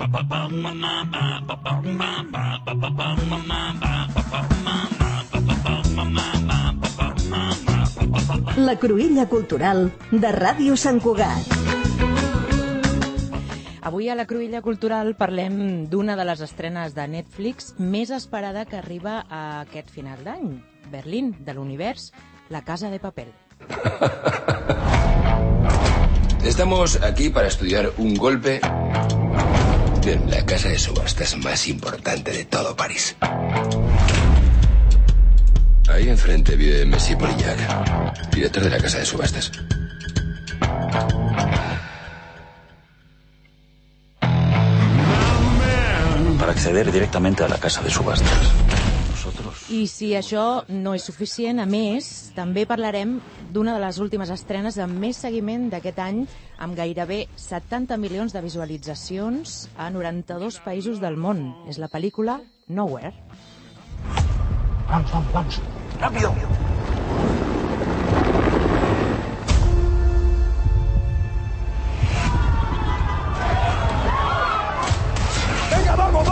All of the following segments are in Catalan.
La Cruïlla Cultural de Ràdio Sant Cugat. Avui a la Cruïlla Cultural parlem d'una de les estrenes de Netflix més esperada que arriba a aquest final d'any. Berlín, de l'univers, La Casa de Papel. Estamos aquí para estudiar un golpe en la casa de subastas más importante de todo París. Ahí enfrente vive Messi Polillac, director de la casa de subastas. Para acceder directamente a la casa de subastas. I si això no és suficient, a més, també parlarem d'una de les últimes estrenes amb més seguiment d'aquest any, amb gairebé 70 milions de visualitzacions a 92 països del món. És la pel·lícula Nowhere. Vamos, rápido. Venga, vamos.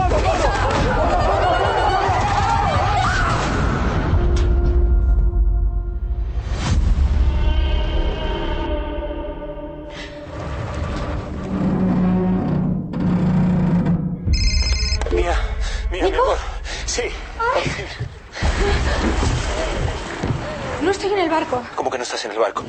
Mía, mi amor. Sí. No estoy en el barco. ¿Cómo que no estás en el barco?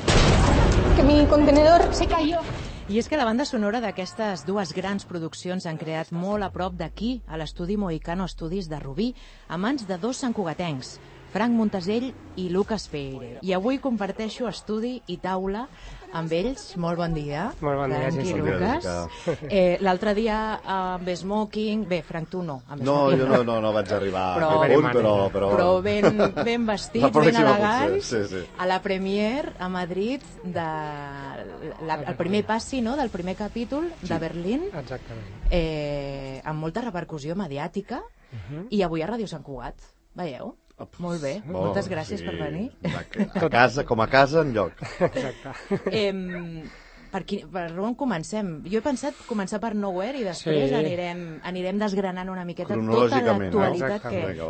Que mi contenedor se cayó. I és que la banda sonora d'aquestes dues grans produccions han creat molt a prop d'aquí, a l'estudi Mohicano Studios de Rubí, a mans de dos santcugatencs, Frank Montesell i Lucas Feire. I avui comparteixo estudi i taula amb ells. Molt bon dia. Molt bon dia, Frank i Lucas. L'altre dia amb Smoking... Bé, Frank, tu no. No, jo no vaig arribar a aquest punt, però ben vestits, ben elegants, sí. a la premiere a Madrid el primer passi, no?, del primer capítol de Berlín. Exactament. Amb molta repercussió mediàtica, i avui a Ràdio Sant Cugat. Veieu? Molt bé, moltes gràcies per venir. Com a casa, enlloc. Exacte. Per on comencem? Jo he pensat començar per Nowhere i després anirem desgranant una miqueta tota l'actualitat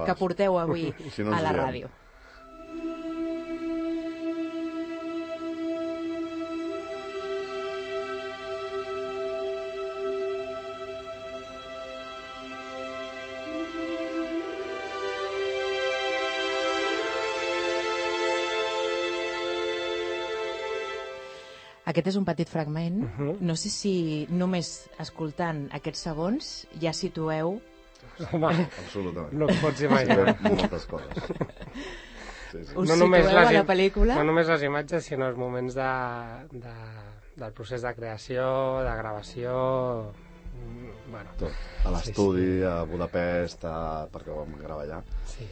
que porteu avui a la ràdio. Aquest és un petit fragment. No sé si només escoltant aquests segons ja situeu... Home, absolutament. No et pots imaginar. Moltes coses. Us situeu a la pel·lícula? No només les imatges, sinó els moments del procés de creació, de gravació... Bueno, tot. A l'estudi, a Budapest, perquè ho vam gravar allà. Sí.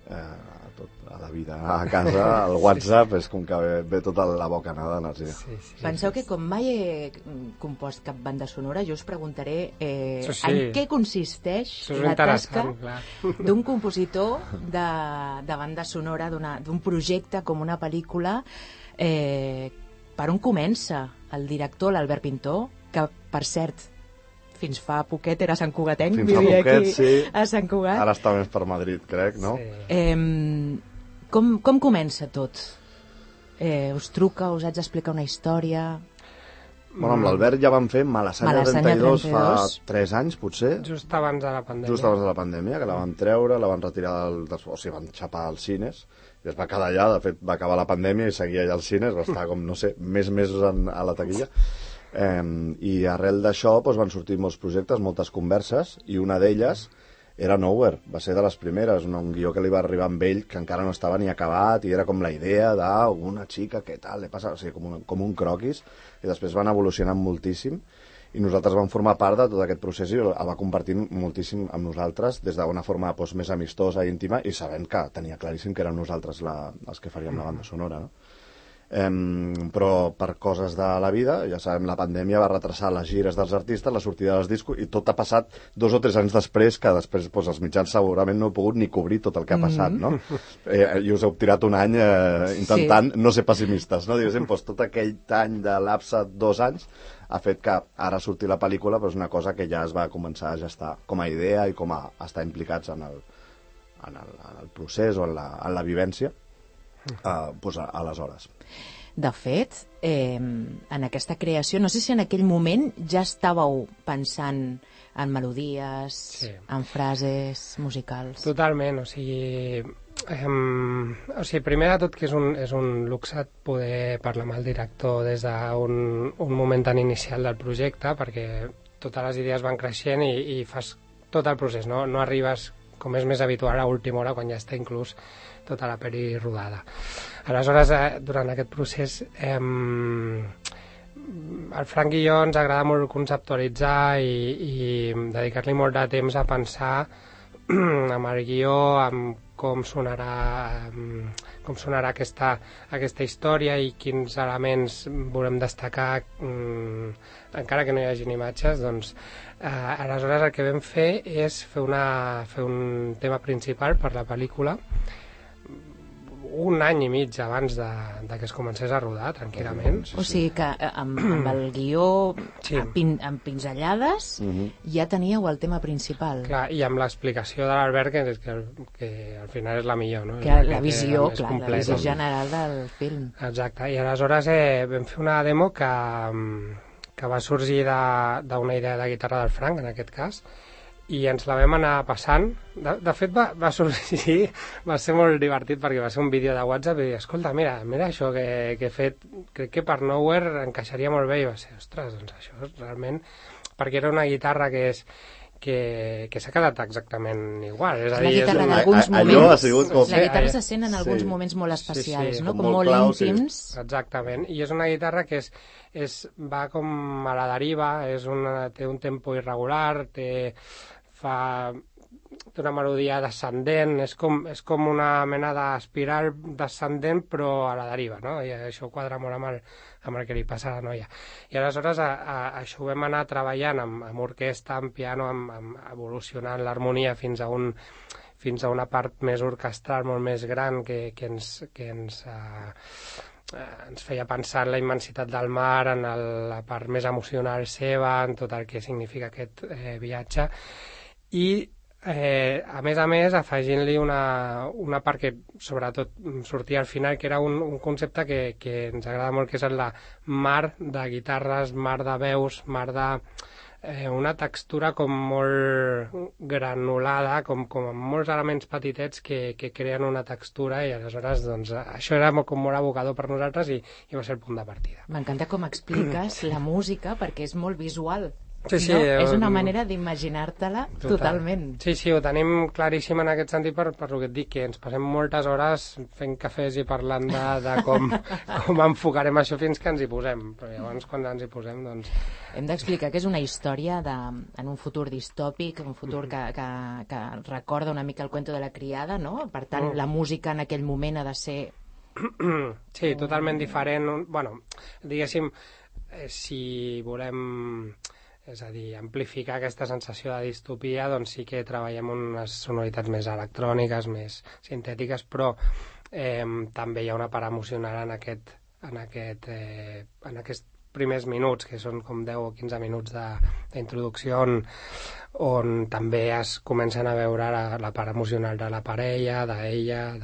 A la vida, a casa, al WhatsApp, és com que ve tota la bocanada d'energia. Sí. Penseu que com mai he compost cap banda sonora, jo us preguntaré en què consisteix la tasca d'un compositor de banda sonora, d'un projecte com una pel·lícula. Per on comença el director, l'Albert Pintó, que, per cert, fins fa poquet era santcugatenc, vivia aquí a Sant Cugat. Ara està més per Madrid, crec, no? Sí. Com comença tot? Us truca, us haig d'explicar una història? Bueno, amb l'Albert ja vam fer Malassanya 32 fa 3 anys, potser. Just abans de la pandèmia. Que la vam treure, la van retirar o sigui, van xapar als cines, i es va quedar allà. De fet, va acabar la pandèmia i seguia allà als cines, va estar com, no sé, mesos a la taquilla. I arrel d'això van sortir molts projectes, moltes converses, i una d'elles era Nowhere, va ser de les primeres, un guió que li va arribar amb ell, que encara no estava ni acabat, i era com la idea d'una xica, què tal, le passa, o sigui, com un croquis, i després van evolucionant moltíssim, i nosaltres vam formar part de tot aquest procés i el va compartir moltíssim amb nosaltres, des d'una forma més amistosa i íntima, i sabent que tenia claríssim que érem nosaltres els que faríem la banda sonora, no? Però per coses de la vida, ja sabem, la pandèmia va retrasar les gires dels artistes, la sortida dels discos, i tot ha passat 2 o 3 anys després, que després els mitjans segurament no he pogut ni cobrir tot el que ha passat, no? I us heu tirat un any intentant no ser pessimistes, no? Diguéssim, tot aquell any de lapse, 2 anys, ha fet que ara surti la pel·lícula, però és una cosa que ja es va començar a gestar com a idea i com a estar implicats en el procés o en la vivència aleshores. De fet, en aquesta creació, no sé si en aquell moment ja estàveu pensant en melodies, en frases musicals. Totalment, o sigui, primer de tot que és un luxe poder parlar amb el director des d'un moment tan inicial del projecte, perquè totes les idees van creixent i fas tot el procés, no arribes, com és més habitual, a última hora, quan ja està inclús tota la pel·li rodada. Aleshores, durant aquest procés, el Frank i jo ens agrada molt conceptualitzar i dedicar-li molt de temps a pensar amb el guió, amb com sonarà aquesta història i quins elements volem destacar, encara que no hi hagin imatges. Doncs, aleshores el que vam fer és fer un tema principal per la pel·lícula un any i mig abans de que es comencés a rodar, tranquil·lament. O sigui que amb el guió amb pinzellades ja teníeu el tema principal. Clar, i amb l'explicació de l'Albert, que al final és la millor, no? Que la visió, la visió general del film. Exacte, i aleshores vam fer una demo que va sorgir d'una idea de guitarra del Frank, en aquest cas, i ens la vam anar passant. De fet, va sorgir, va ser molt divertit, perquè va ser un vídeo de WhatsApp i dir, escolta, mira això que he fet, crec que per Nowhere encaixaria molt bé, i va ser, ostres, doncs això és realment... Perquè era una guitarra que s'ha quedat exactament igual. És a dir, la guitarra d'alguns moments... La guitarra se sent en alguns moments molt especials, no? Com molt íntims. Exactament, i és una guitarra que va com a la deriva, té un tempo irregular, té una melodia descendent, és com una mena d'espiral descendent però a la deriva, no? I això quadra molt amb el que li passa a la noia. I aleshores això ho vam anar treballant amb orquestra, amb piano, amb evolucionant l'harmonia fins a una part més orquestral, molt més gran, que ens feia pensar en la immensitat del mar, en la part més emocional seva, en tot el que significa aquest viatge. I a més, afegint-li una part que sobretot sortia al final, que era un concepte que ens agrada molt, que és el de mar de guitarres, mar de veus, mar de... una textura com molt granulada, com amb molts elements petitets que creen una textura, i aleshores doncs, això era com molt evocador per nosaltres i va ser el punt de partida. M'encanta com expliques la música, perquè és molt visual. Sí, no? És una manera d'imaginar-te-la totalment. Sí, ho tenim claríssim en aquest sentit, per el que et dic, que ens passem moltes hores fent cafès i parlant de com enfocarem això fins que ens hi posem. Però llavors, quan ens hi posem, doncs... Hem d'explicar que és una història en un futur distòpic, un futur que recorda una mica el cuento de la criada, no? Per tant, la música en aquell moment ha de ser... Sí, totalment diferent. Bueno, diguéssim, si volem... És a dir, amplificar aquesta sensació de distopia, doncs sí que treballem unes sonoritats més electròniques, més sintètiques, però també hi ha una part emocional en aquests primers minuts, que són com 10 o 15 minuts d'introducció, on també es comencen a veure la part emocional de la parella, d'ella,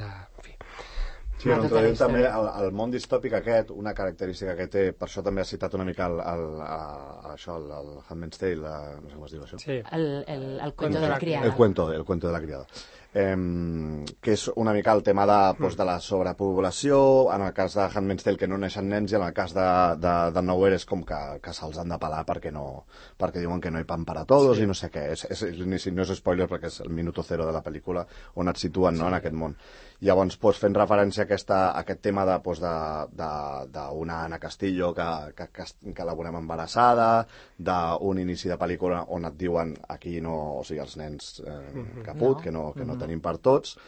Sí, també el món distòpic aquest, una característica que té, per això també has citat una mica el Handmaid's Tale, no sé com es diu això. Sí. El cuento de la criada. El cuento de la criada. Que és una mica el tema de la sobrepoblació, en el cas de Handmaid's Tale que no neixen nens, i en el cas de Nowhere és com que se'ls han de pelar perquè diuen que no hi pan para todos, i no sé què. No és spoiler perquè és el minuto cero de la pel·lícula on et situen, no, en aquest món. Llavors, fent referència a aquest tema d'una Ana Castillo que la veurem embarassada, d'un inici de pel·lícula on et diuen aquí no, o sigui, els nens caput, que no tenim per tots.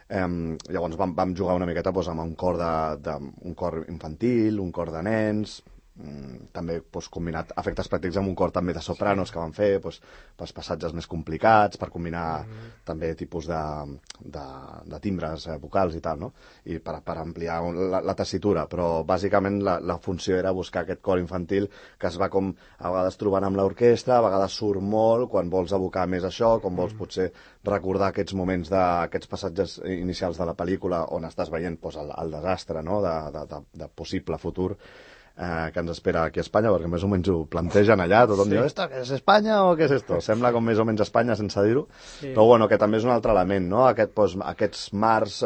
Llavors vam jugar una miqueta amb un cor infantil, un cor de nens, també combinat efectes pràctics amb un cor també de sopranos que van fer, pels passatges més complicats, per combinar també tipus de timbres vocals i tal, no? I per ampliar la tessitura, però bàsicament la funció era buscar aquest cor infantil que es va com a vegades trobant amb l'orquestra, a vegades surt molt quan vols evocar més això, quan vols potser recordar aquests moments d'aquests passatges inicials de la pel·lícula on estàs veient el desastre, no? de possible futur que ens espera aquí a Espanya, perquè més o menys ho plantegen allà, tothom diu, ¿esto qué es Espanya o què és esto? Sembla com més o menys Espanya sense dir-ho, però bueno, que també és un altre element, no? Aquests mars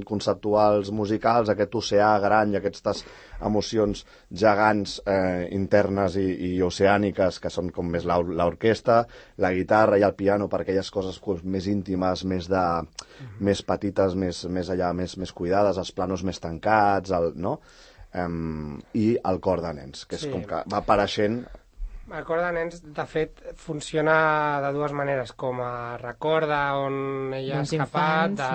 conceptuals musicals, aquest oceà gran i aquestes emocions gegants internes i oceàniques que són com més l'orquestra, la guitarra i el piano per aquelles coses més íntimes, més petites, més allà, més cuidades, els planos més tancats, no? I el cor de nens, que és com que va apareixent. El cor de nens, de fet, funciona de dues maneres, com a recorda on ella ha escapat de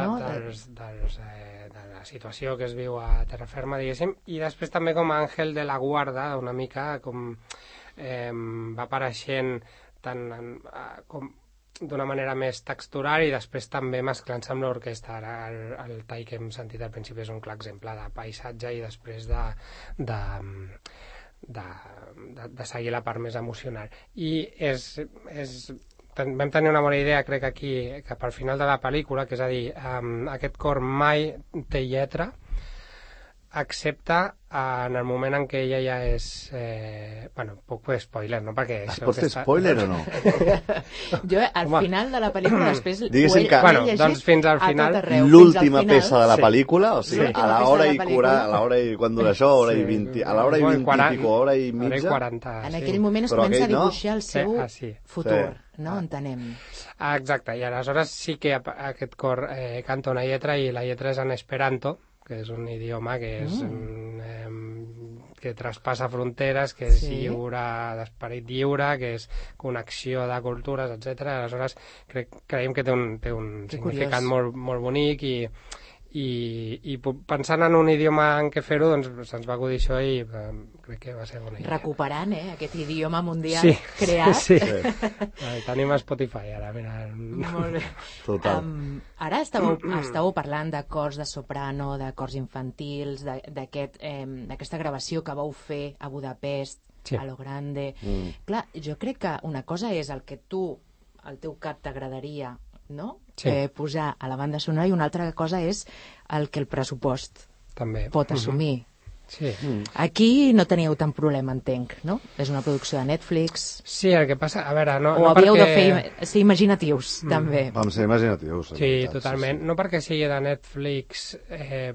la situació que es viu a terra ferma, diguéssim, i després també com a àngel de la guarda, una mica com va apareixent tant com d'una manera més textural i després també mesclant-se amb l'orquestra. Ara el tall que hem sentit al principi és un clar exemple de paisatge i després de seguir la part més emocional. I vam tenir una bona idea, crec, aquí, cap al final de la pel·lícula, que és a dir, aquest cor mai té lletra, excepte en el moment en què ella ja és... bueno, puc fer spoiler, no? Perquè es pot fer spoiler o no? Jo, al final de la pel·lícula, després... Diguéssim que... Bueno, doncs fins al final... L'última peça de la pel·lícula, o sigui, a l'hora i... Quan dura això, hora i 20... A l'hora i 20 i pico, hora i mitja... En aquell moment es comença a dibuixar el seu futur, no? Entenem. Exacte, i aleshores sí que aquest cor canta una lletra i la lletra és en esperanto, que és un idioma que és que traspassa fronteres, que és lliure, d'esperit lliure, que és connexió de cultures, etc. Aleshores creiem que té un significat molt, molt bonic i pensant en un idioma en què fer-ho, doncs se'ns va acudir això i crec que va ser bona idea. Recuperant, aquest idioma mundial creat. Sí. Tenim a Spotify ara, mira. Molt bé. Total. Ara estàveu parlant de cors de soprano, de cors infantils, d'aquesta gravació que vau fer a Budapest, a lo grande. Clar, jo crec que una cosa és el que al teu cap t'agradaria, no? Posar a la banda sonora, i una altra cosa és el que el pressupost també pot assumir. Sí. Aquí no teníeu tant problema, entenc, no? És una producció de Netflix. Sí, el que passa... A veure, no havíeu de ser imaginatius, també. Vam ser imaginatius. Sí, totalment. Sí. No perquè sigui de Netflix,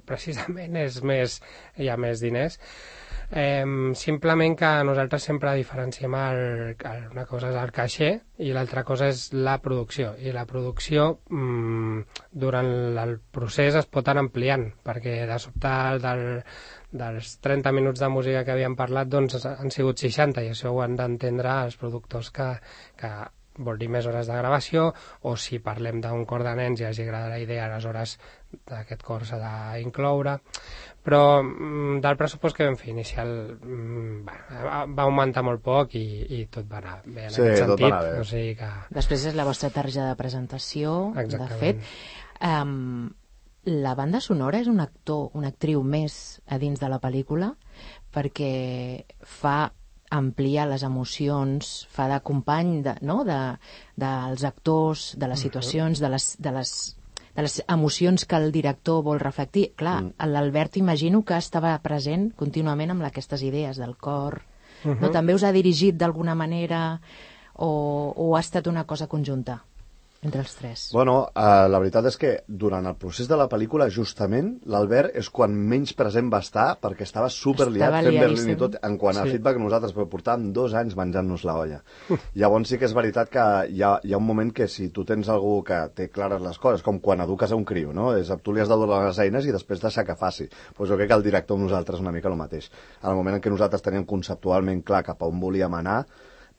precisament hi ha més diners. Simplement que nosaltres sempre diferenciem una cosa és el caixer i l'altra cosa és la producció, i la producció durant el procés es pot anar ampliant, perquè de sobte dels 30 minuts de música que havíem parlat doncs han sigut 60, i això ho han d'entendre els productors que vol dir més hores de gravació, o si parlem d'un cor de nens i hagi agradat la idea, aleshores aquest cor s'ha d'incloure. Però del pressupost que vam fer inicial va augmentar molt poc i tot va anar bé en aquest sentit. Tot va anar bé. O sigui que... Després és la vostra targeta de presentació. Exactament. De fet. La banda sonora és un actor, una actriu més a dins de la pel·lícula, perquè fa ampliar les emocions, fa de company dels actors, de les situacions, de les emocions que el director vol reflectir. Clar, l'Albert imagino que estava present contínuament amb aquestes idees del cor. No? També us ha dirigit d'alguna manera o ha estat una cosa conjunta entre els tres? Bueno, la veritat és que durant el procés de la pel·lícula, justament, l'Albert és quan menys present va estar, perquè estava superliat fent Berlín i tot, en quant a feedback nosaltres, però portàvem 2 anys menjant-nos la olla. Llavors sí que és veritat que hi ha un moment que si tu tens algú que té clares les coses, com quan eduques a un criu, no? Tu li has de donar les eines i després deixar que faci. Pues jo crec que el director amb nosaltres una mica el mateix. En el moment en què nosaltres teníem conceptualment clar cap a on volíem anar,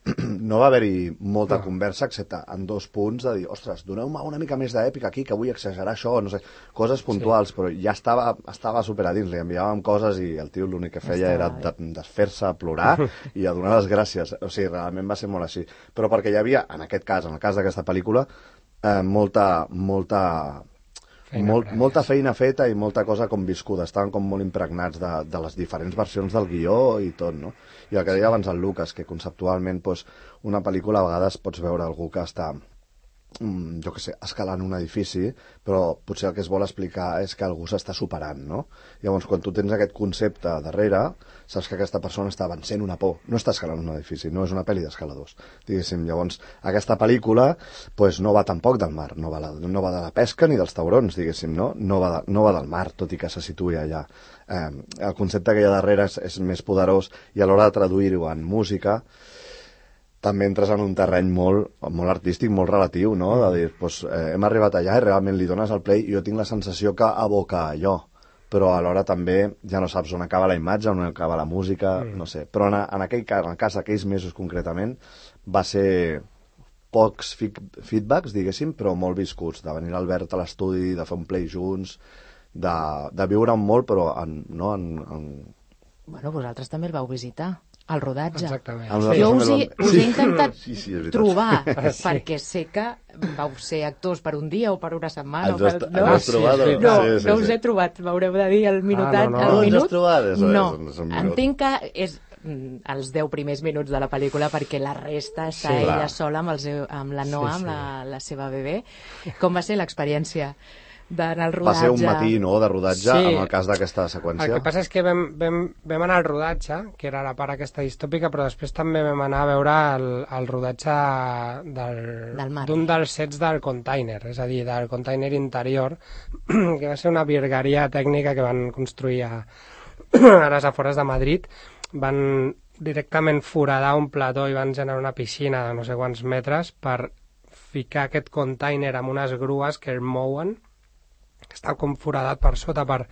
no va haver-hi molta conversa, excepte en 2 punts de dir, ostres, doneu-me una mica més d'èpica aquí, que vull exagerar això, no sé, coses puntuals, però ja estava super a dins, li enviàvem coses i el tio l'únic que feia era desfer-se, plorar i a donar les gràcies. O sigui, realment va ser molt així. Però perquè hi havia, en aquest cas, en el cas d'aquesta pel·lícula, molta feina feta i molta cosa com viscuda, estaven com molt impregnats de les diferents versions del guió i tot, no? I el que deia abans el Lucas, que conceptualment una pel·lícula a vegades pots veure algú que està, jo què sé, escalant un edifici, però potser el que es vol explicar és que algú s'està superant, no? Llavors, quan tu tens aquest concepte darrere, saps que aquesta persona està vencent una por, no està escalant un edifici, no és una pel·li d'escaladors, diguéssim. Llavors, aquesta pel·lícula no va tampoc del mar, no va de la pesca ni dels taurons, diguéssim, no? No va del mar, tot i que se situï allà. El concepte que hi ha darrere és més poderós i a l'hora de traduir-ho en música també entres en un terreny molt artístic, molt relatiu, no? De dir, hem arribat allà i realment li dones el play i jo tinc la sensació que aboca allò, però alhora també ja no saps on acaba la imatge, on acaba la música, no sé. Però en aquell cas, en el cas d'aquells mesos concretament, va ser pocs feedbacks, diguéssim, però molt viscuts, de venir l'Albert a l'estudi, de fer un play junts, de viure molt, però Bueno, vosaltres també el vau visitar, el rodatge. Exactament. Jo us he intentat trobar, perquè sé que vau ser actors per un dia o per una setmana. No us he trobat, m'haureu de dir el minutat. No us has trobat? No, entenc que és els 10 primers minuts de la pel·lícula, perquè la resta està ella sola amb la Noa, amb la seva bebè. Com va ser l'experiència d'anar al rodatge? Va ser un matí, no?, de rodatge, en el cas d'aquesta seqüència. El que passa és que vam anar al rodatge, que era la part aquesta distòpica, però després també vam anar a veure el rodatge d'un dels sets del container, és a dir, del container interior, que va ser una virgueria tècnica que van construir a les afores de Madrid. Van directament foradar un plató i van generar una piscina de no sé quants metres per ficar aquest container amb unes grues que el mouen, que està com foradat per sota per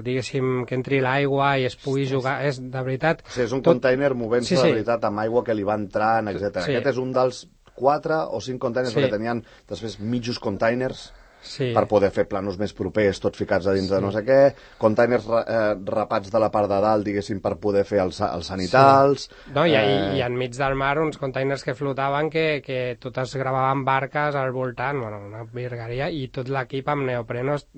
diguéssim, que entri l'aigua i es pugui jugar. És, de veritat... O sigui, és un container movent-se de veritat amb aigua que li va entrant, etc. Aquest és un dels 4 o 5 containers, perquè tenien després mitjos containers per poder fer planos més propers, tots ficats a dins de no sé què, containers rapats de la part de dalt, diguéssim, per poder fer els sanitals... No, i enmig del mar uns containers que flotaven que totes gravaven barques al voltant, bueno, una virgueria, i tot l'equip amb neoprenos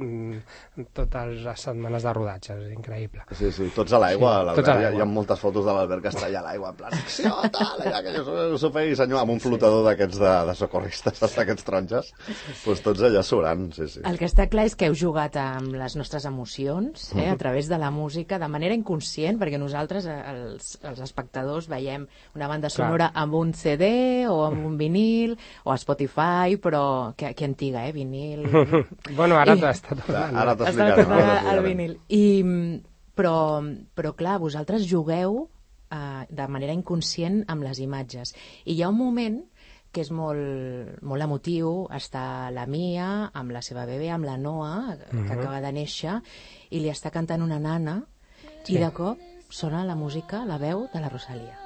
totes les setmanes de rodatge, és increïble. Sí, tots a l'aigua, hi ha moltes fotos de l'Albert que està allà a l'aigua, en plan, acció, tal, allà, que jo s'ho feia senyor, amb un flotador d'aquests de socorristes, d'aquests taronges, doncs tots allà surant. Sí. El que està clar és que heu jugat amb les nostres emocions, a través de la música, de manera inconscient, perquè nosaltres, els espectadors, veiem una banda sonora amb un CD o amb un vinil o a Spotify, però que antiga, vinil... Bueno, ara està tornant. Ara t'explicaré. El vinil. Però clar, vosaltres jugueu de manera inconscient amb les imatges. I hi ha un moment que és molt emotiu, està la Mia amb la seva bebè, amb la Noa, que acaba de néixer, i li està cantant una nana, i de cop sona la música, la veu de la Rosalía.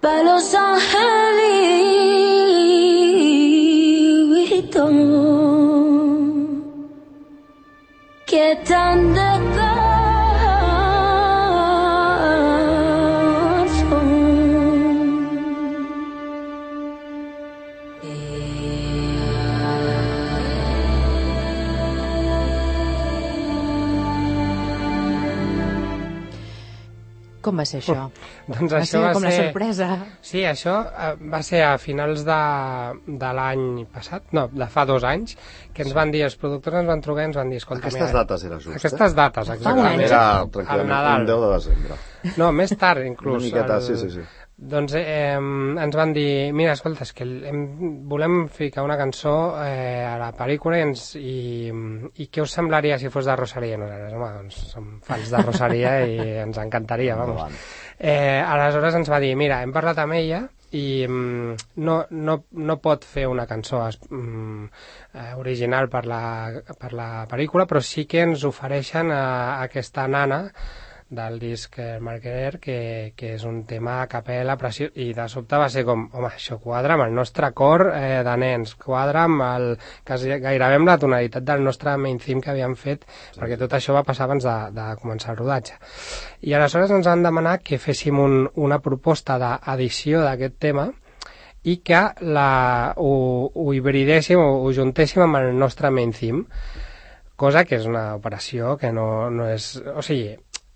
Pa los angelitos que tan de Com va ser això? Doncs això va ser com la sorpresa. Sí, això va ser a finals de l'any passat, no, de fa 2 anys, que ens van dir, els productors ens van trucar i ens van dir, escolta... Aquestes dates era just, Aquestes dates, exactament. Era tranquil·lament un 10 de desembre. No, més tard, inclús. Una miqueta, sí. Doncs ens van dir, mira, escolta, és que volem ficar una cançó a la pel·lícula i què us semblaria si fos de Rosalía? Nosaltres, home, doncs som fans de Rosalía i ens encantaria, vamos. Aleshores ens va dir, mira, hem parlat amb ella i no pot fer una cançó original per la pel·lícula, però sí que ens ofereixen aquesta nana del disc Marquer, que és un tema a capella preciós, i de sobte va ser com, home, això quadra amb el nostre cor de nens, quadra amb gairebé amb la tonalitat del nostre main theme que havíem fet, perquè tot això va passar abans de començar el rodatge. I aleshores ens han demanat que féssim una proposta d'edició d'aquest tema i que ho hibridéssim o ho juntéssim amb el nostre main theme, cosa que és una operació que no és... O sigui,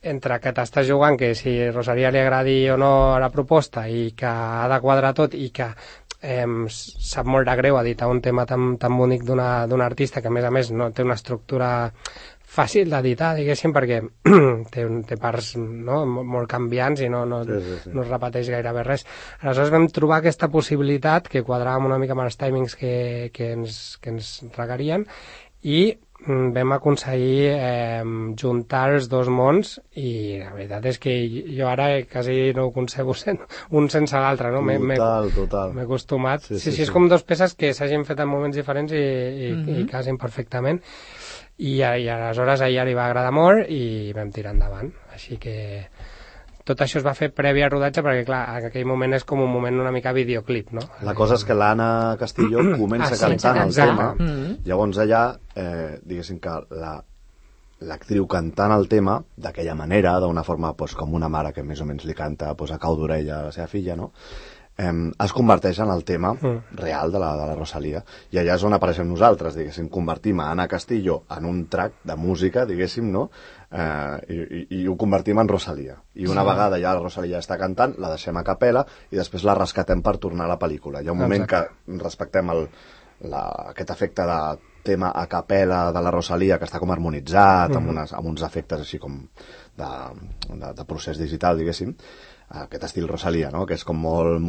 entre que t'estàs jugant que si Rosalía li agradi o no a la proposta i que ha de quadrar tot i que sap molt de greu editar un tema tan bonic d'un artista que a més no té una estructura fàcil d'editar, diguéssim, perquè té parts molt canviants i no es repeteix gairebé res. Aleshores vam trobar aquesta possibilitat que quadrava una mica amb els timings que ens requerien i vam aconseguir juntar els dos mons i la veritat és que jo ara quasi no ho concebo un sense l'altre, no? Total. M'he acostumat. Sí, és com dos peces que s'hagin fet en moments diferents i casin perfectament. I aleshores a ella li va agradar molt i vam tirar endavant. Així que tot això es va fer previ al rodatge perquè, clar, en aquell moment és com un moment una mica videoclip, no? La cosa és que l'Anna Castillo comença cantant el tema, llavors allà, diguéssim que l'actriu cantant el tema d'aquella manera, d'una forma com una mare que més o menys li canta a cau d'orella a la seva filla, no? Es converteix en el tema real de la Rosalía, i allà és on apareixem nosaltres, diguéssim, convertim a Anna Castillo en un track de música, diguéssim, no? I ho convertim en Rosalía. I una vegada ja la Rosalía està cantant, la deixem a capella i després la rescatem per tornar a la pel·lícula. Hi ha un moment que respectem aquest efecte de tema a capella de la Rosalía, que està com harmonitzat, amb uns efectes així com de procés digital, diguéssim, aquest estil Rosalía, no? Que és com molt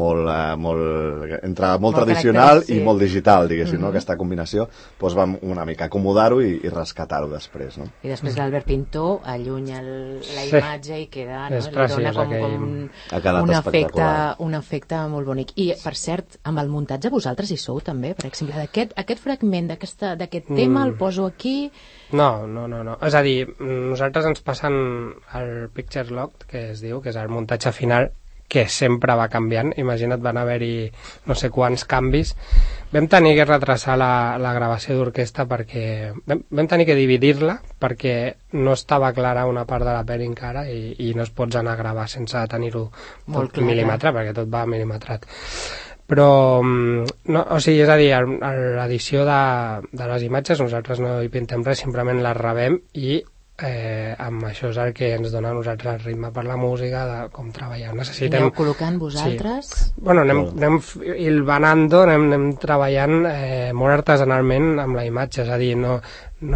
tradicional i molt digital, diguéssim, no? Aquesta combinació, doncs vam una mica acomodar-ho i rescatar-ho després, no? I després l'Albert Pintor allunya la imatge i queda, no? Li dona com un efecte molt bonic. I, per cert, amb el muntatge vosaltres hi sou també, per exemple, aquest fragment d'aquest tema el poso aquí... No. És a dir, nosaltres ens passen el picture log, que es diu, que és el muntatge final, que sempre va canviant. Imagina't, van haver-hi no sé quants canvis. Vam tenir que retrasar la gravació d'orquestra perquè... Vam tenir que dividir-la perquè no estava clara una part de la pel·li encara i no es pots anar a gravar sense tenir-ho tot mil·límetre, perquè tot va mil·límetrat. Però, no, o sigui, és a dir, l'edició de les imatges nosaltres no hi pintem res, simplement les rebem i amb això és el que ens dona a nosaltres el ritme per la música, de com treballar. Necessitem... Aneu col·locant vosaltres? Sí. Bueno, anem hilvanando, anem treballant molt artesanalment amb la imatge, és a dir, no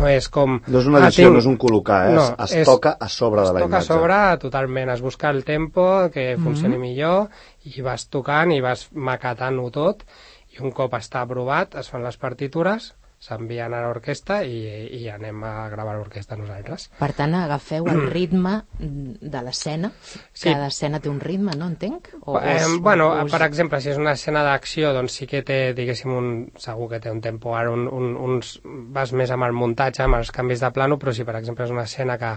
és com... No és una edició, no és un col·locar, es toca a sobre de la imatge. Es toca a sobre totalment, es busca el tempo que funcioni millor i vas tocant i vas maquetant-ho tot i un cop està aprovat es fan les partitures, s'envien a l'orquestra i anem a gravar l'orquestra nosaltres. Per tant, agafeu el ritme de l'escena. Sí. Cada escena té un ritme, no entenc? Per exemple, si és una escena d'acció, doncs sí que té, diguéssim, segur que té un tempo, ara vas més amb el muntatge, amb els canvis de plano, però si per exemple és una escena que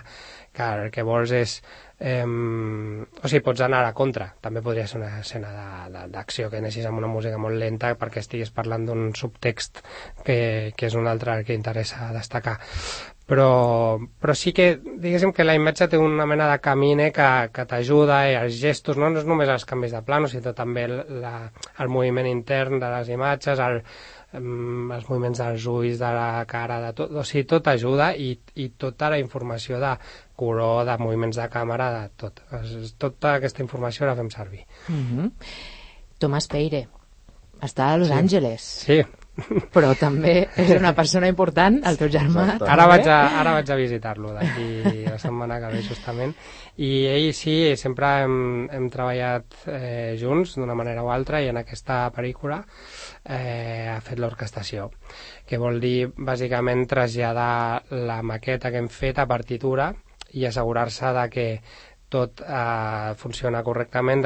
el que vols és... o sigui, pots anar a la contra. També podria ser una escena d'acció que anessis amb una música molt lenta perquè estiguis parlant d'un subtext que és un altre que interessa destacar. Però sí que, diguéssim que la imatge té una mena de camine que t'ajuda, els gestos, no és només els canvis de plano, sinó també el moviment intern de les imatges, els moviments dels ulls, de la cara, de tot, o sigui, tot ajuda i tota la informació de color, de moviments de càmera, de tot. Tota aquesta informació la fem servir. Tomàs Peire està a Los Angeles. Sí. Però també és una persona important, el teu germà. Ara vaig a visitar-lo d'aquí la setmana que ve justament, i ell sí, sempre hem treballat junts d'una manera o altra, i en aquesta pel·lícula ha fet l'orquestació, que vol dir bàsicament traslladar la maqueta que hem fet a partitura i assegurar-se de que tot funciona correctament,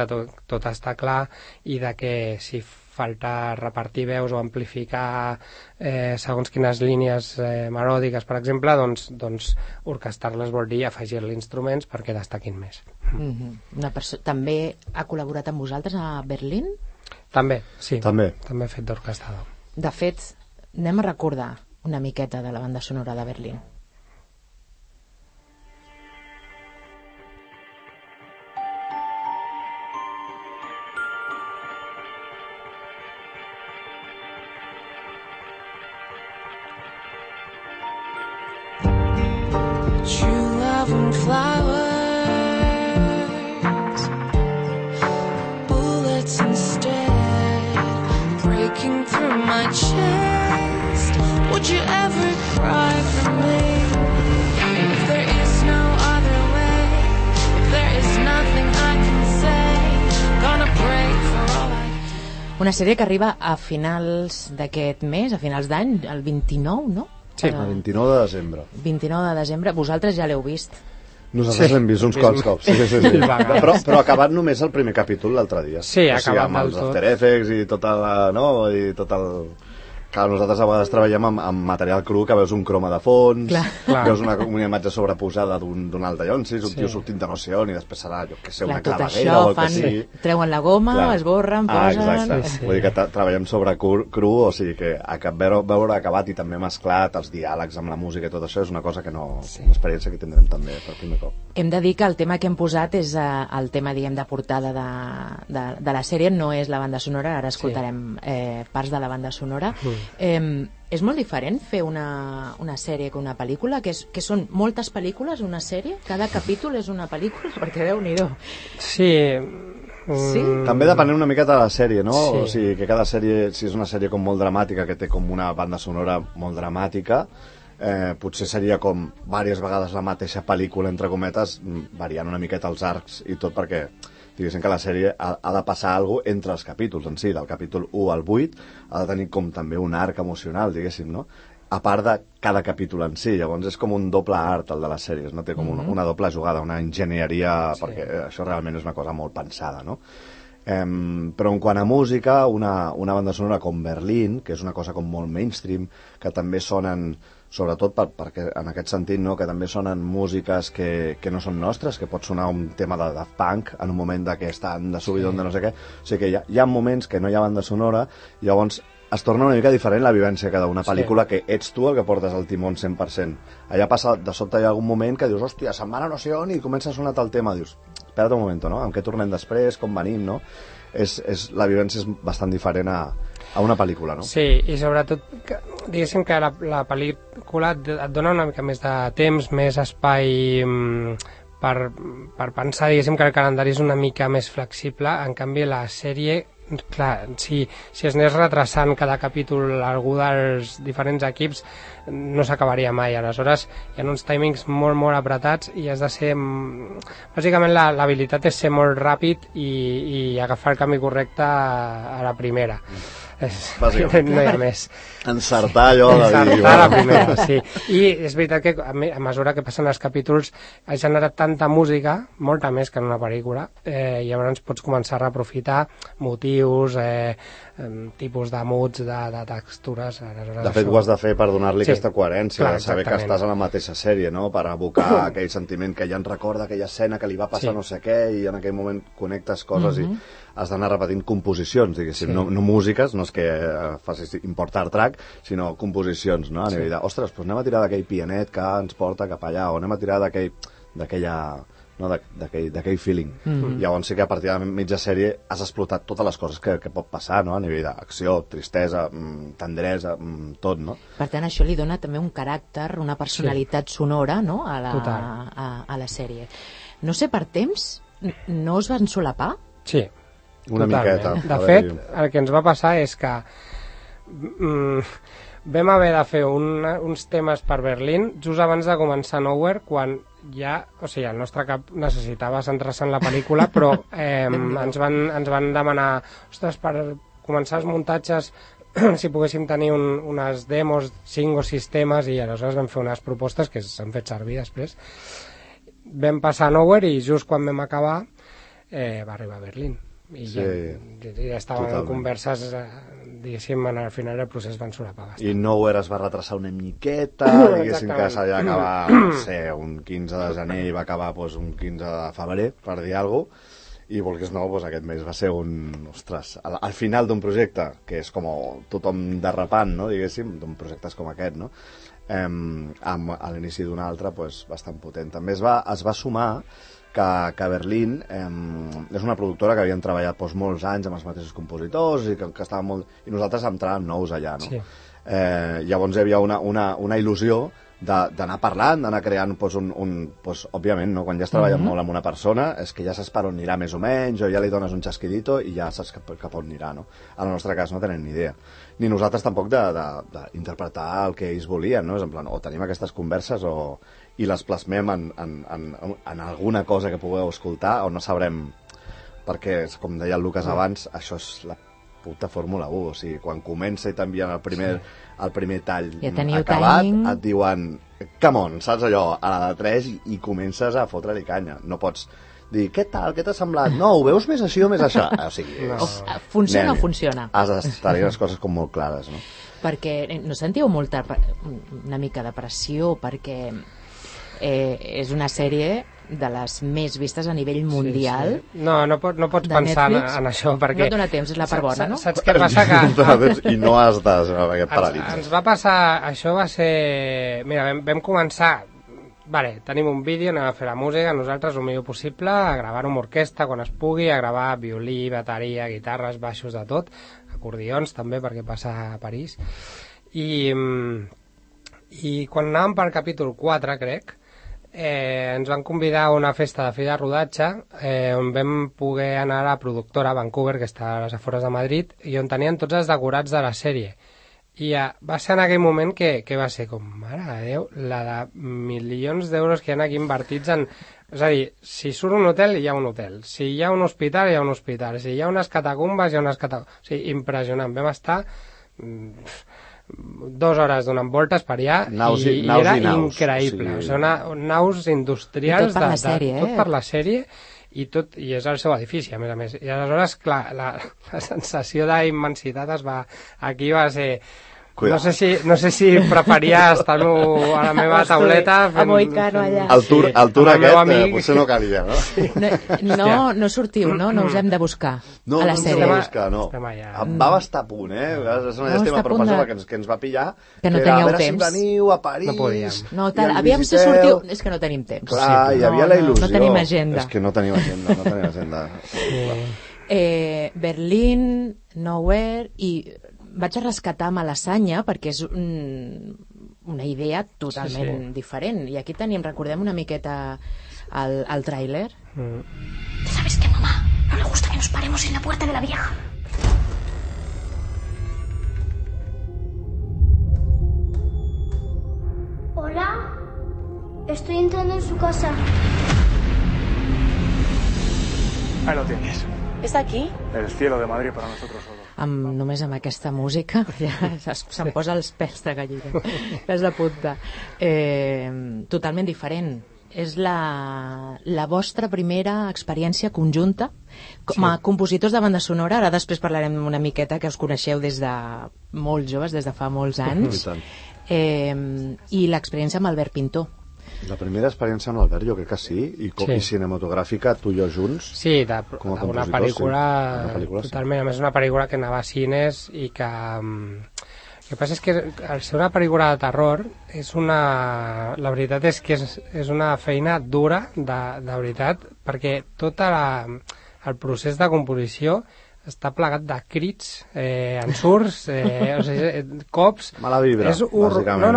tot està clar, i de que si falta repartir veus o amplificar segons quines línies melòdiques, per exemple, doncs orquestar-les vol dir afegir-li instruments perquè destaquin més. També ha col·laborat amb vosaltres a Berlín? També, sí. També he fet d'orquestador. De fet, anem a recordar una miqueta de la banda sonora de Berlín. Una sèrie que arriba a finals d'aquest mes, a finals d'any, el 29, no? Sí, el 29 de desembre. 29 de desembre. Vosaltres ja l'heu vist? Nosaltres l'hem vist uns quants cops. Sí. Però acabat només el primer capítol l'altre dia. Sí, acabat amb els After Effects i tot el... Clar, nosaltres a vegades treballem amb material cru, que veus un croma de fons, veus una imatge sobreposada d'un altallonsis, un tio sortint de no sé on, i després serà, jo què sé, una claveguera o el que sigui. Treuen la goma, esborren, posen... Exacte. Vull dir que treballem sobre cru, o sigui que veure acabat i també mesclat els diàlegs amb la música i tot això és una cosa que no... Una experiència que tindrem també per primer cop. Hem de dir que el tema que hem posat és el tema, diguem, de portada de la sèrie, no és la banda sonora, ara escoltarem parts de la banda sonora. És molt diferent fer una sèrie que una pel·lícula, que són moltes pel·lícules, una sèrie? Cada capítol és una pel·lícula? Perquè Déu-n'hi-do. Sí. Sí? També depenent una miqueta de la sèrie, no? Sí. O sigui, que cada sèrie, si és una sèrie com molt dramàtica, que té com una banda sonora molt dramàtica, potser seria com diverses vegades la mateixa pel·lícula, entre cometes, variant una miqueta els arcs i tot, perquè diguéssim que la sèrie ha de passar alguna cosa entre els capítols en si, del capítol 1 al 8 ha de tenir com també un arc emocional, diguéssim, no? A part de cada capítol en si, llavors és com un doble art el de les sèries, no? Té com una doble jugada, una enginyeria, perquè això realment és una cosa molt pensada, no? Però en quant a música, una banda sonora com Berlín, que és una cosa com molt mainstream, que també sonen, sobretot perquè en aquest sentit, no, que també sonen músiques que no són nostres, que pot sonar un tema de Daft Punk en un moment que estan de subidon de no sé què, o sigui que hi ha moments que no hi ha banda sonora, llavors es torna una mica diferent la vivència que d'una pel·lícula que ets tu el que portes el timó 100%. Allà passa, de sobte hi ha algun moment que dius, hòstia, se'n van a no sé on i comença a sonar el tema, dius, espera't un moment, no? En què tornem després, com venim, no? La vivència és bastant diferent a una pel·lícula, no? Sí, i sobretot, diguéssim que la pel·lícula et dona una mica més de temps, més espai per pensar, diguéssim que el calendari és una mica més flexible, en canvi la sèrie, clar, si es anés retrasant cada capítol algú dels diferents equips no s'acabaria mai, aleshores hi ha uns timings molt molt apretats i has de ser, bàsicament l'habilitat és ser molt ràpid i agafar el camí correcte a la primera. No hi ha més. Encertar allò de dir... Encertar la primera, sí. I és veritat que a mesura que passen els capítols ha generat tanta música, molta més que en una pel·lícula, i llavors pots començar a reaprofitar motius, tipus de moods, de textures... De fet, ho has de fer per donar-li aquesta coherència, de saber que estàs a la mateixa sèrie, no? Per evocar aquell sentiment que ja en recorda aquella escena que li va passar no sé què i en aquell moment connectes coses i has d'anar repetint composicions, diguéssim, no músiques, no és que facis import-art track, sinó composicions, no? A nivell de, ostres, doncs anem a tirar d'aquell pianet que ens porta cap allà, o anem a tirar d'aquell feeling. Llavors sí que a partir de mitja sèrie has explotat totes les coses que pot passar, no? A nivell d'acció, tristesa, tendresa, tot, no? Per tant, això li dona també un caràcter, una personalitat sonora, no? A la sèrie. No sé, per temps, no us van solapar? Sí. Una miqueta. De fet, el que ens va passar és que vam haver de fer uns temes per Berlín just abans de començar Nowhere, quan ja, o sigui, el nostre cap necessitava centrar-se en la pel·lícula, però ens van demanar, ostres, per començar els muntatges si poguéssim tenir unes demos, 5 o 6 temes, i aleshores vam fer unes propostes que s'han fet servir després. vam passar a Nowhere i just quan vam acabar va arribar a Berlín. I ja estaven en converses, diguéssim, al final del procés van solapar bastant. I Nowhere es va retrasar una miqueta, diguéssim que s'havia d'acabar, no sé, un 15 de gener i va acabar un 15 de febrer, per dir alguna cosa, i volgués no, aquest mes va ser ostres, al final d'un projecte que és com tothom derrapant, no, diguéssim, d'un projectes com aquest, no? A l'inici d'un altre, bastant potent. També es va sumar que Berlín és una productora que havien treballat molts anys amb els mateixos compositors i que estaven molt... I nosaltres entràvem nous allà, no? Sí. Llavors hi havia una il·lusió d'anar parlant, d'anar creant òbviament, no? Quan ja has treballat molt amb una persona és que ja saps per on anirà més o menys, o ja li dones un xasquidito i ja saps cap on anirà, no? En el nostre cas no tenen ni idea. Ni nosaltres tampoc d'interpretar el que ells volien, no? És en plan, o tenim aquestes converses i les plasmem en alguna cosa que pugueu escoltar o no sabrem, perquè, com deia el Lucas abans, això és la puta Fórmula 1, o sigui, quan comença i t'envien el primer tall acabat, et diuen come on, saps allò, a la de 3 i comences a fotre-li canya. No pots dir, què tal, què t'ha semblat? No, ho veus més així o més això? O sigui, funciona o funciona? Has de tenir les coses com molt clares, no? Perquè no sentiu una mica de pressió, perquè és una sèrie de les més vistes a nivell mundial. Sí. No pots pensar en això, perquè... No et dona temps, és la part bona, no? Saps què passa? I no has de aquest paràlits. Ens va passar, això va ser... Mira, vam començar... Vale, tenim un vídeo, anem a fer la música, nosaltres el millor possible, a gravar amb orquestra quan es pugui, a gravar violí, bateria, guitarres, baixos, de tot, acordions també, perquè passa a París. I quan anàvem per capítol 4, crec, ens van convidar a una festa de fi de rodatge on vam poder anar a la productora a Vancouver, que està a les afores de Madrid, i on tenien tots els decorats de la sèrie. I va ser en aquell moment que va ser com, mare de Déu, la de milions d'euros que hi ha aquí invertits en... És a dir, si surt un hotel, hi ha un hotel. Si hi ha un hospital, hi ha un hospital. Si hi ha unes catacumbes, hi ha unes catacumbes. O sigui, impressionant. Vam estar 2 hores donant voltes per allà i era increïble. O sigui, naus industrials tot per la sèrie, tot per la sèrie i és el seu edifici, a més. I aleshores, clar, la sensació d'immensitat aquí va ser... No sé si preferia estar-lo a la meva tauleta fent... A Moicano allà. El tour aquest potser no calia, no? No sortiu, no? No us hem de buscar a la sèrie. No, buscar, no. Vam estar a punt, És una llàstima per persona que ens va pillar. Que no teníeu temps. A veure si veniu a París. No podíem. No, aviam si sortiu... És que no tenim temps. Clar, hi havia la il·lusió. No tenim agenda. És que no tenim agenda. Berlín, Nowhere i... Vaig a rescatar Malassanya perquè és una idea totalment diferent. I aquí recordem una miqueta el tràiler. ¿Sabes qué, mamá? No le gusta que nos paremos en la puerta de la vieja. Hola. Estoy entrando en su casa. Ahí lo tienes. ¿Es aquí? El cielo de Madrid para nosotros solo. Només amb aquesta música ja se'm posa els pèls de gallina, pèls de punta. Totalment diferent. És la vostra primera experiència conjunta com a compositors de banda sonora. Ara després parlarem una miqueta, que us coneixeu des de molt joves, des de fa molts anys. I l'experiència amb Albert Pintor. La primera experiència amb l'Albert jo crec que sí, i cinematogràfica, tu i jo junts. Sí, una pel·lícula totalment, a més una pel·lícula que anava a cines i que... El que passa és que al ser una pel·lícula de terror la veritat és que és una feina dura de veritat, perquè tot el procés de composició està plegat de crits, ensurts, cops... Mala vibra, bàsicament,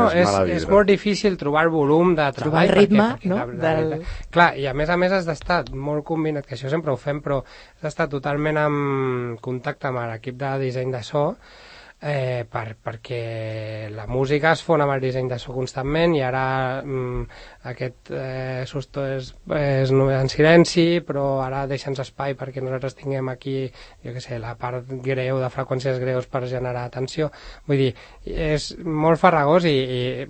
és molt difícil trobar el volum de treball. Trobar el ritme, Clar, i a més has d'estar molt combinat, que això sempre ho fem, però has d'estar totalment en contacte amb l'equip de disseny de so, perquè la música es fon amb el disseny de so constantment, i ara aquest susto és en silenci, però ara deixa'ns espai perquè nosaltres tinguem aquí, jo què sé, la part greu de freqüències greus per generar tensió. Vull dir, és molt farragós i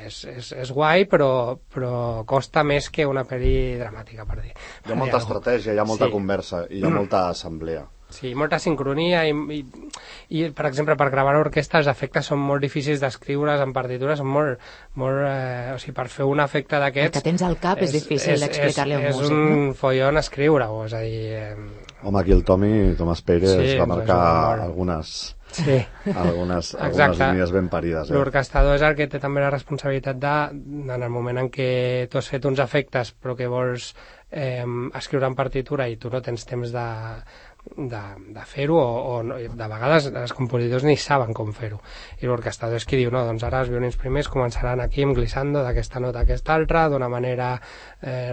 és guai, però costa més que una pel·li dramàtica, per dir. Hi ha molta estratègia, hi ha molta conversa i hi ha molta assemblea. Sí, molta sincronia i, per exemple, per gravar l'orquestra els efectes són molt difícils d'escriure's en partitures, són molt o sigui, per fer un efecte d'aquests... El que tens al cap és difícil d'explicar-li a un músic. És un follon escriure-ho, és a dir... Home, aquí el Tomàs Pérez va marcar algunes línies ben parides. L'orquestrador és el que té també la responsabilitat en el moment en què tu has fet uns efectes però que vols escriure en partitura i tu no tens temps de fer-ho, o de vegades els compositors ni saben com fer-ho, i l'orquestrador és qui diu, no, doncs ara els violins primers començaran aquí amb glissando d'aquesta nota a aquesta altra d'una manera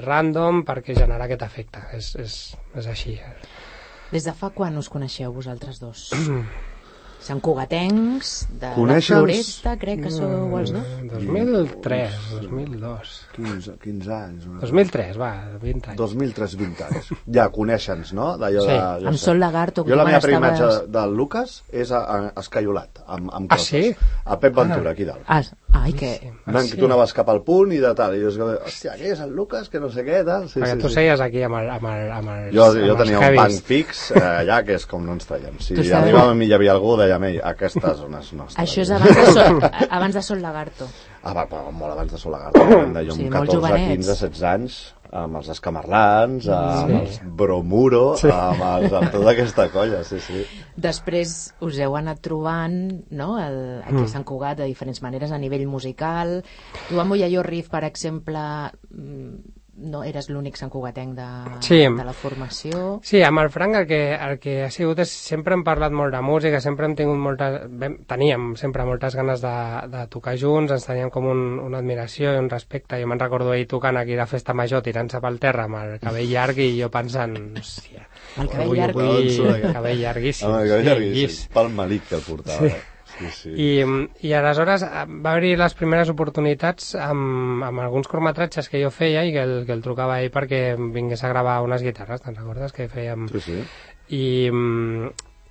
random perquè generar aquest efecte, és així. Des de fa quan us coneixeu vosaltres dos? Sant Cugatencs, de la Floresta, crec que sou els dos? 2003, 2002. 15 anys. 2003, va, 20 anys. 2003, 20 anys. Ja, coneixen-nos, no? Sí, amb Sol Lagarto. Jo la meva primera imatge del Lucas és escaiolat, amb coses. Ah, sí? A Pep Ventura, aquí dalt. Ai, que... Tu anaves cap al punt i de tal, i jo hòstia, aquí és el Lucas, que no sé què, tal. Perquè tu seies aquí amb el jo tenia un banc fix allà, que és com no ens traiem. Si arribàvem i hi havia algú, dèiem, aquestes zones nostres. Això és abans de Sol Lagarto. Molt abans de Sol Lagarto. Jo amb 14, 15, 16 anys, amb els Escamarlans, amb els Bromuro, amb tota aquesta colla, sí. Després us heu anat trobant, no?, aquí a Sant Cugat de diferents maneres a nivell musical. Tu amb Mollelló Riff, per exemple, no eres l'únic santcugatenc de la formació. Sí, amb el Frank el que ha sigut és sempre hem parlat molt de música, sempre hem tingut teníem sempre moltes ganes de tocar junts, ens teníem com una admiració i un respecte. Jo me'n recordo ell tocant aquí a la festa major, tirant-se pel terra amb el cabell llarg, i jo pensant, hòstia, el cabell llarg, cabell llarguíssim. El cabell llarguíssim, pel malic que el portava. Sí. I aleshores va haver les primeres oportunitats amb alguns curtmetratges que jo feia i que el trucava ell perquè vingués a gravar unes guitarres, te'n recordes que fèiem? Sí.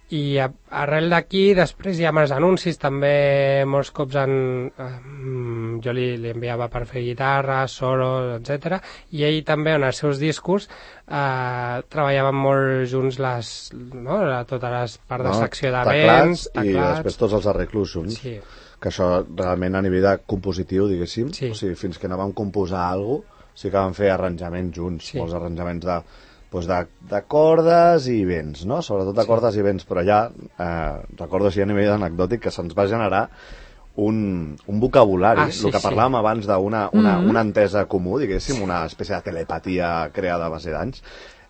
I arrel d'aquí, després ja amb els anuncis també molts cops jo li enviava per fer guitarra, solo, etc. I ell també en els seus discos treballàvem molt junts totes les parts de secció de vents, teclats, i després tots els arreglos junts. Sí. Que això realment a nivell de compositiu, diguéssim, o sigui, fins que no vam composar alguna cosa, sí que vam fer arranjaments junts, molts arranjaments de cordes i vents, no? Sobretot de cordes i vents, però ja recordo així a nivell anecdòtic que se'ns va generar un vocabulari, el que parlàvem abans d'una entesa comú, diguéssim, una espècie de telepatia creada a base d'anys.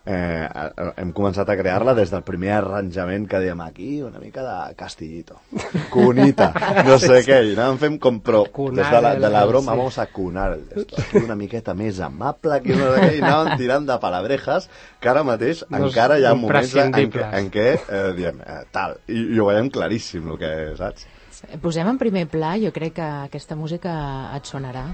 Hem començat a crear-la des del primer arranjament que dèiem aquí, una mica de castillito, cunita, no sé què, i anàvem fent com, però des de la broma vamos a cunar esto, una miqueta més amable, i anàvem tirant de palabrejas que ara mateix encara hi ha moments en què diem tal, i ho veiem claríssim el que saps. Posem en primer pla, jo crec que aquesta música et sonarà.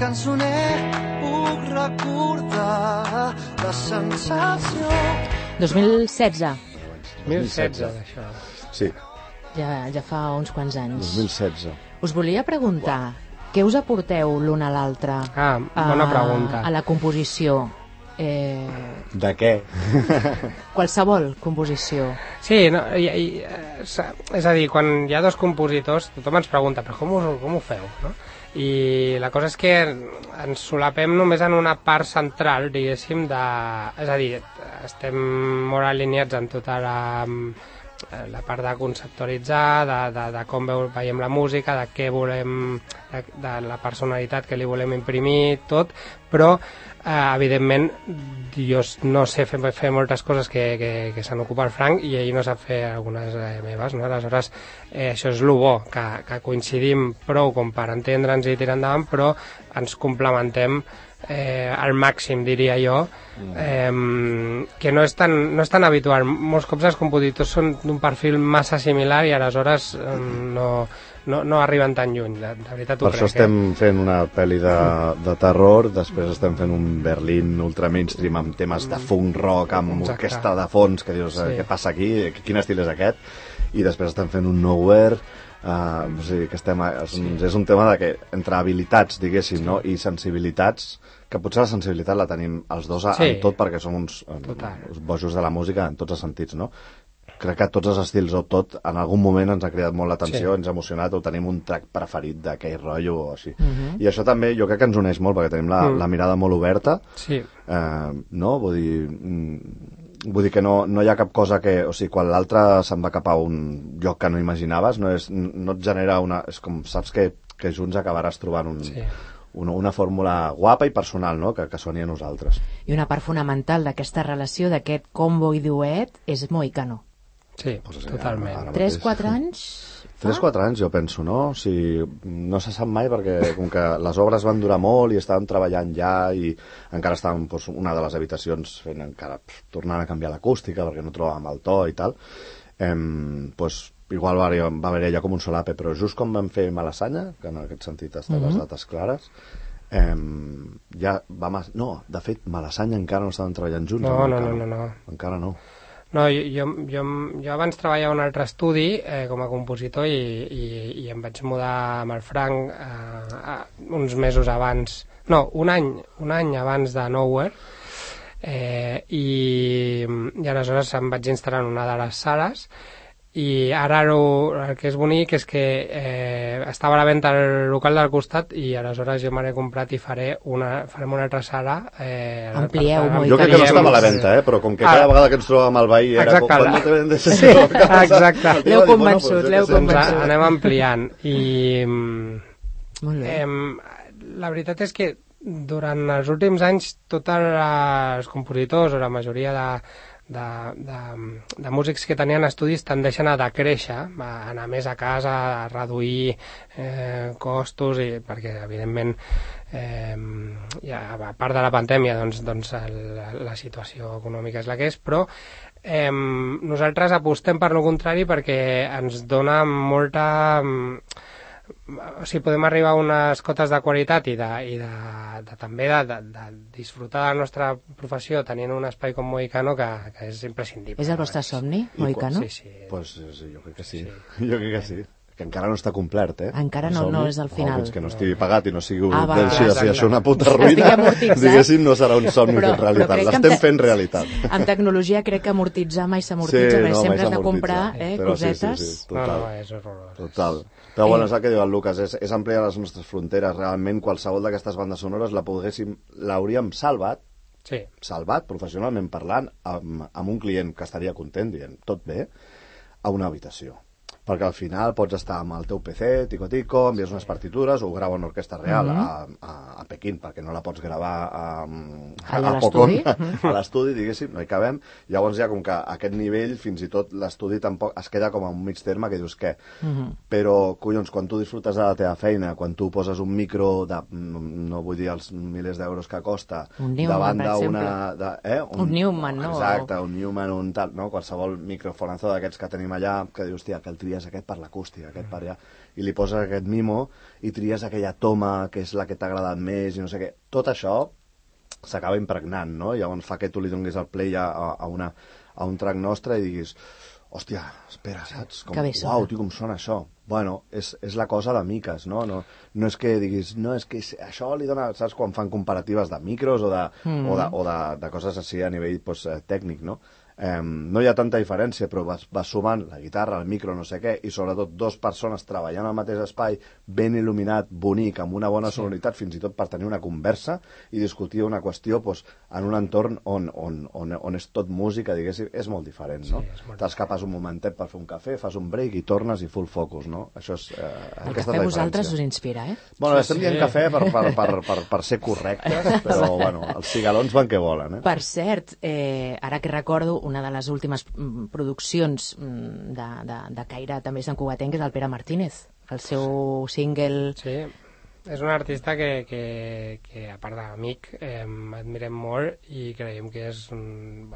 Cançoner, puc recordar la sensació... 2016. 2016, això. Sí. Ja fa uns quants anys. 2016. Us volia preguntar, què us aporteu l'un a l'altre? Bona pregunta. A la composició? De què? Qualsevol composició. Sí, és a dir, quan hi ha dos compositors, tothom ens pregunta, però com ho feu, no? I la cosa és que ens solapem només en una part central, diguéssim, és a dir, estem molt alineats en tota la part de conceptualitzar, de com veiem la música, de què volem, de la personalitat que li volem imprimir, tot, però evidentment jo no sé fer moltes coses que se n'ocupa el Frank i ell no sap fer algunes meves, no? Aleshores això és el bo, que coincidim prou com per entendre'ns i tirar endavant, però ens complementem al màxim, diria jo, que no és tan habitual. Molts cops els compositors són d'un perfil massa similar i aleshores no arriben tan lluny, de veritat ho crec. Per això estem fent una pel·li de terror, després estem fent un Berlín ultra mainstream amb temes de funk rock, amb orquestra de fons, que dius, què passa aquí, quin estil és aquest? I després estem fent un Nowhere, o sigui, que és un tema de que entre habilitats, diguéssim, no? I sensibilitats, que potser la sensibilitat la tenim els dos en tot, perquè som uns bojos de la música en tots els sentits, no? Crec que tots els estils o tot, en algun moment ens ha cridat molt l'atenció, ens ha emocionat, o tenim un track preferit d'aquell rotllo o així. I això també jo crec que ens uneix molt, perquè tenim la mirada molt oberta, no? Vull dir que no hi ha cap cosa que... O sigui, quan l'altre se'n va cap a un lloc que no imaginaves, no et genera una... És com, saps que junts acabaràs trobant una fórmula guapa i personal, no? Que soni a nosaltres. I una part fonamental d'aquesta relació, d'aquest combo i duet, és Mohicano. Sí, totalment. 3-4 anys? 3-4 anys, jo penso, no? O sigui, no se sap mai, perquè com que les obres van durar molt i estàvem treballant ja i encara estàvem una de les habitacions fent encara tornant a canviar l'acústica perquè no trobàvem el to i tal, igual va haver allà com un solape, però just com vam fer Malassanya, que en aquest sentit estan les dates clares, ja vam... No, de fet, Malassanya encara no estaven treballant junts. No. Encara no. No, jo abans treballava a un altre estudi com a compositor i em vaig mudar amb el Frank uns mesos abans, no, un any abans de Nowhere, i aleshores em vaig instal·lar en una de les sales i ara el que és bonic és que estava a la venda el local del costat i aleshores jo me l'he comprat i farem una altra sala. Amplieu molt. Jo crec que no estava a la venda, però com que cada vegada que ens trobàvem al veí era quan no te vendes això. Exacte. L'heu convençut. Anem ampliant i la veritat és que durant els últims anys tots els compositors o la majoria de músics que tenien estudis tendeixen a decréixer, a anar més a casa, a reduir costos, perquè evidentment a part de la pandèmia doncs la situació econòmica és la que és, però nosaltres apostem per lo contrari perquè ens dona molta... O sigui, podem arribar a unes cotes de qualitat i també de disfrutar de la nostra professió tenint un espai com Mohicano que és imprescindible. És el vostre somni, Mohicano? Sí. Pues jo crec que sí. Jo crec que sí. Que encara no està complert, Encara no és el final. Fins que no estigui pagat i no sigui això una puta ruïna, diguéssim, no serà un somni fet realitat. L'estem fent realitat. En tecnologia crec que amortitzar mai s'amortitza, perquè sempre has de comprar cosetes. Sí, total. No, és horrorós. Total. Però bueno, és el que diu el Lucas, és ampliar les nostres fronteres. Realment qualsevol d'aquestes bandes sonores l'hauríem salvat professionalment parlant amb un client que estaria content dient tot bé, a una habitació. Perquè al final pots estar amb el teu PC, tico-tico, envies unes partitures, ho grava una orquestra real a Pequín, perquè no la pots gravar a Pocón, a l'estudi, diguéssim, no hi cabem. Llavors ja com que a aquest nivell, fins i tot l'estudi tampoc es queda com a un mig terme que dius què. Però, collons, quan tu disfrutes de la teva feina, quan tu poses un micro de, no vull dir els milers d'euros que costa, davant d'una... Un Newman, no? Exacte, un Newman, un tal, no? Qualsevol microfonazo d'aquests que tenim allà, que dius, tia, que el tries aquest per l'acústica, aquest per allà, i li poses aquest mimo i tries aquella toma que és la que t'ha agradat més i no sé què. Tot això s'acaba impregnant, no? Llavors fa que tu li donis el play a un track nostre i diguis, hòstia, espera, saps? Uau, tio, com sona això? Bueno, és la cosa de miques, no? No és que diguis, no, és que això li dona, saps, quan fan comparatives de micros o de coses així a nivell tècnic, no? no hi ha tanta diferència, però vas sumant la guitarra, el micro, no sé què, i sobretot dues persones treballant al mateix espai, ben il·luminat, bonic, amb una bona sonoritat, fins i tot per tenir una conversa i discutir una qüestió en un entorn on és tot música, diguéssim, és molt diferent, no? T'escapes un momentet per fer un cafè, fas un break i tornes i full focus, no? Això és el cafè a vosaltres us inspira, eh? Bueno, estem dient cafè per ser correctes, però bueno, els cigalons van que volen, eh? Per cert, ara que recordo, una de les últimes produccions de caire també Sant Cugatenc és el Pere Martínez, el seu single... Sí, és un artista que a part d'amic, admirem molt i creiem que és un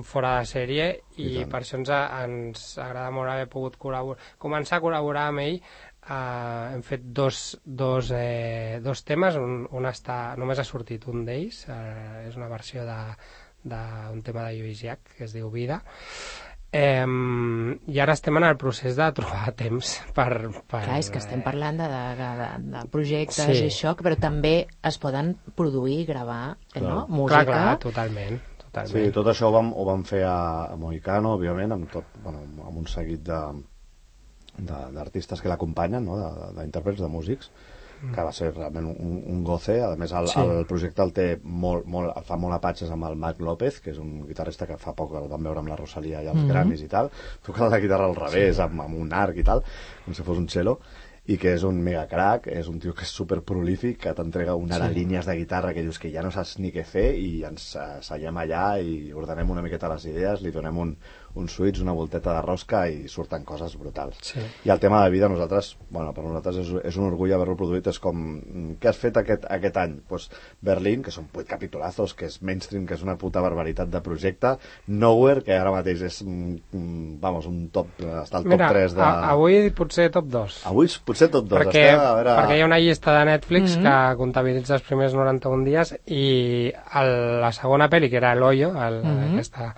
fora de sèrie i per això ens agrada molt haver pogut començar a col·laborar amb ell. Hem fet dos temes, un només ha sortit un d'ells, és una versió d'un tema de Lluís Llach que es diu Vida, i ara estem en el procés de trobar temps per... Clar, és que estem parlant de projectes i això, però també es poden produir i gravar, no? Música. Clar, totalment. Sí, tot això ho vam fer a Mohicano, òbviament, amb un seguit d'artistes que l'acompanyen, no? D'intèrprets, de músics, que va ser realment un goce. A més, el projecte el fa molt a patxes amb el Marc López, que és un guitarrista que fa poc el vam veure amb la Rosalia i els Grammys i tal, toca la guitarra al revés, amb un arc i tal, com si fos un cello, i que és un mega crack, és un tio que és super prolífic, que t'entrega una de línies de guitarra que dius que ja no saps ni què fer, i ens seiem allà i ordenem una miqueta les idees, li donem un switch, una volteta de rosca i surten coses brutals. Sí. I el tema de Vida, per nosaltres és un orgull haver-lo produït. És com, què has fet aquest any? Pues Berlín, que són 8 capitulazos, que és mainstream, que és una puta barbaritat de projecte. Nowhere, que ara mateix és un top, està al top 3 de... Avui potser top 2. Avui potser top 2. Perquè hi ha una llista de Netflix que comptabilitza els primers 91 dies i la segona pel·li, que era El Hoyo, aquesta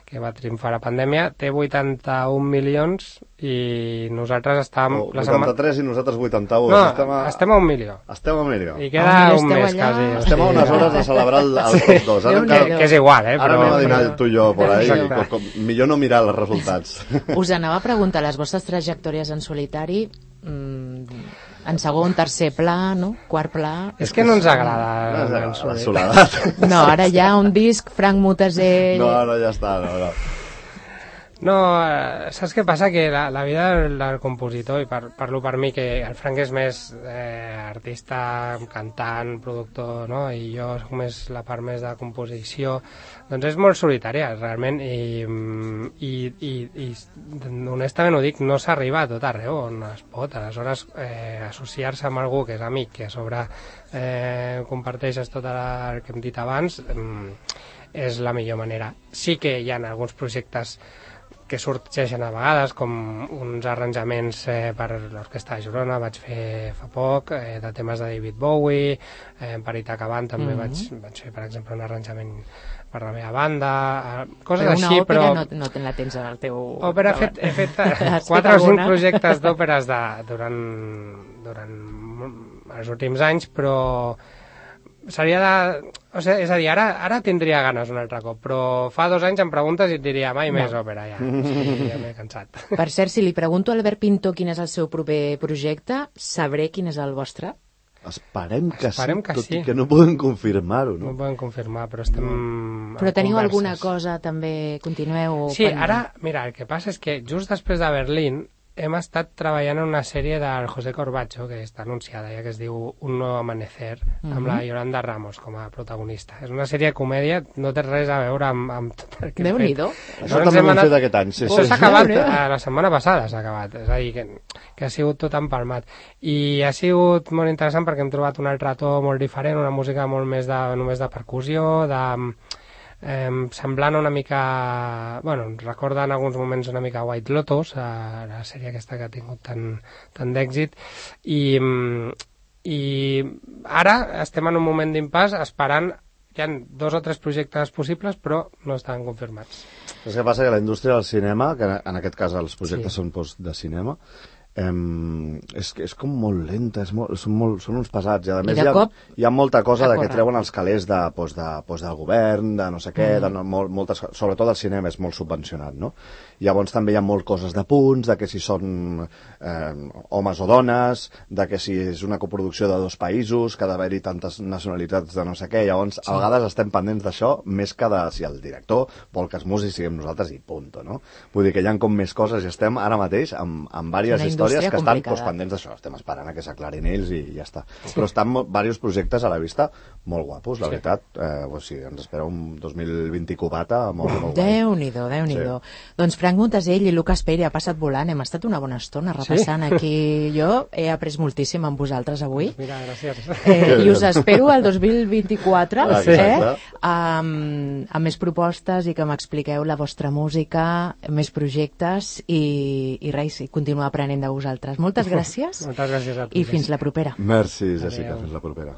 que va triomfar a la pandèmia, té 81 milions i nosaltres estàvem... 83 i nosaltres 81. No, estem a 1 milió. Estem a 1 milió. I queda un mes, quasi. Estem a unes hores de celebrar el top 2. Que és igual, eh? Ara anem a dinar tu i jo por ahí. Millor no mirar els resultats. Us anava a preguntar, les vostres trajectòries en solitari... en segon, tercer pla, no? Quart pla... És que no ens agrada la soledat. No, ara hi ha un disc, Frank Mutasell... No, ja està, no. No, saps què passa? Que la vida del compositor, i parlo per mi, que el Frank és més artista, cantant, productor, no? I jo soc més la part més de composició, doncs és molt solitària, realment, i honestament ho dic, no s'arriba a tot arreu on es pot. Aleshores, associar-se amb algú que és amic, que a sobre comparteixes tot el que hem dit abans, és la millor manera. Sí que hi ha alguns projectes que sorgeixen a vegades, com uns arranjaments per l'Orquestra de Girona, vaig fer fa poc, de temes de David Bowie, per Itaca Band també vaig fer, per exemple, un arranjament per la meva banda, coses així, però... Una òpera no te la tens al teu... Òpera, he fet 4 o 5 projectes d'òperes durant els últims anys, però seria de... O sigui, és a dir, ara tindria ganes un altre cop, però fa 2 anys em preguntes i et diria mai més òpera, ja. Sí, ja m'he cansat. Per cert, si li pregunto a Albert Pinto quin és el seu proper projecte, sabré quin és el vostre? Esperem que sí, tot i que no podem confirmar-ho, no? No podem confirmar, però estem... Però teniu alguna cosa, també, continueu... Sí, ara, mira, el que passa és que just després de Berlín hem estat treballant en una sèrie del José Corbacho, que està anunciada ja, que es diu Un nuevo amanecer, amb la Yolanda Ramos com a protagonista. És una sèrie de comèdia, no té res a veure amb tot el que hem fet. Això també ho hem fet aquest any, sí. S'ha acabat, la setmana passada s'ha acabat, és a dir, que ha sigut tot empalmat. I ha sigut molt interessant perquè hem trobat un altre to molt diferent, una música molt més només de percussió, semblant una mica, bueno, recorda en alguns moments una mica White Lotus, la sèrie aquesta que ha tingut tant d'èxit, i ara estem en un moment d'impàs esperant. Hi ha 2 o 3 projectes possibles, però no estan confirmats. És que passa que la indústria del cinema, que en aquest cas els projectes són de cinema, és com molt lenta, són uns pesats, i a més hi ha molta cosa que treuen els calés del govern, de no sé què, sobretot el cinema és molt subvencionat, no? Llavors també hi ha moltes coses de punts, de que si són homes o dones, de que si és una coproducció de 2 països, que ha d'haver-hi tantes nacionalitats de no sé què, llavors a vegades estem pendents d'això més que de si el director vol que els músics siguem nosaltres i punto, no? Vull dir que hi ha com més coses i estem ara mateix amb diverses històries que estan pendents d'això, estem esperant a que s'aclarin ells i ja està. Però estan diversos projectes a la vista molt guapos, la veritat. Ens espera un 2020 cubata molt guai. Déu-n'hi-do. Doncs Frank Montesell i Lucas Peire ha passat volant, hem estat una bona estona repassant aquí. Jo he après moltíssim amb vosaltres avui. Mira, gràcies. I us espero al 2024 amb més propostes i que m'expliqueu la vostra música, més projectes i res, i continuar aprenent de vosaltres. Moltes gràcies. Moltes gràcies a tu. I fins la propera. Merci, Jessica. Fins la propera.